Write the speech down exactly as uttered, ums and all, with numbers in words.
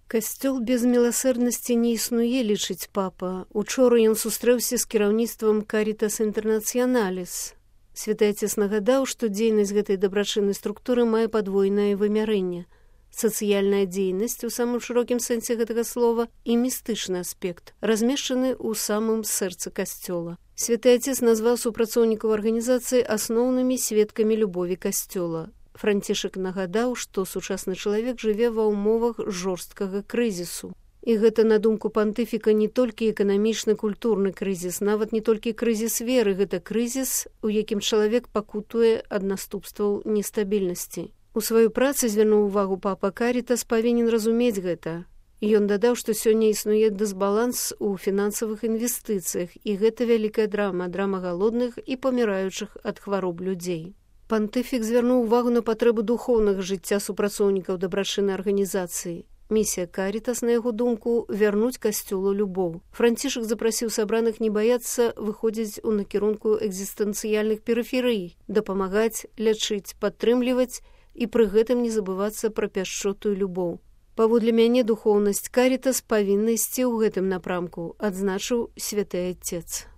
Касцёл без міласэрнасці не існуе, лічыць папа. Учора ён сустрэўся з кіраўніцтвам Карітас Інтэрнацыяналіс. Святы Отец нагадаў, што дзейнасць гэтай дабрачыннай структуры мае падвойнае вымярэнне. Сацыяльная дзейнасць у самым шырокім сэнсе гэтага слова і містычны аспект, размешчаны ў самым сэрцы касцёла. Святы Отец назваў супрацоўнікаў арганізацыі асноўнымі сведкамі любові касцёла. Францішак нагадаў, што сучасны чалавек жыве ва ўмовах жорсткага крызісу. І гэта, на думку пантыфіка, не толькі эканамічны, культурны крызіс, нават не толькі крызіс веры, гэта крызіс, у якім чалавек пакутуе ад наступстваў нестабільнасці. У сваёй працы звярнуў увагу папа Карітас павінен разумець гэта. Ён дадаў, што сёння існуе дысбаланс у фінансавых інвестыцыях, і гэта вялікая драма, драма галодных і паміраючых ад хвароб людзей. Пантыфік звярнуў увагу на патрэбу духоўнага жыцця супрацоўнікаў дабрачыннай арганізацыі. Місія Карітас, на яго думку, вярнуць касцёлу любоў. Францішак запрасіў сабраных не баяцца выходзіць у накірунку экзістэнцыяльных перыферый, дапамагаць, лячыць, падтрымліваць і пры гэтым не забывацца пра пяшчоту і любоў. Паводле мяне духоўнасць Карітас павінна ісці ў гэтым напрамку, адзначыў святы Отец.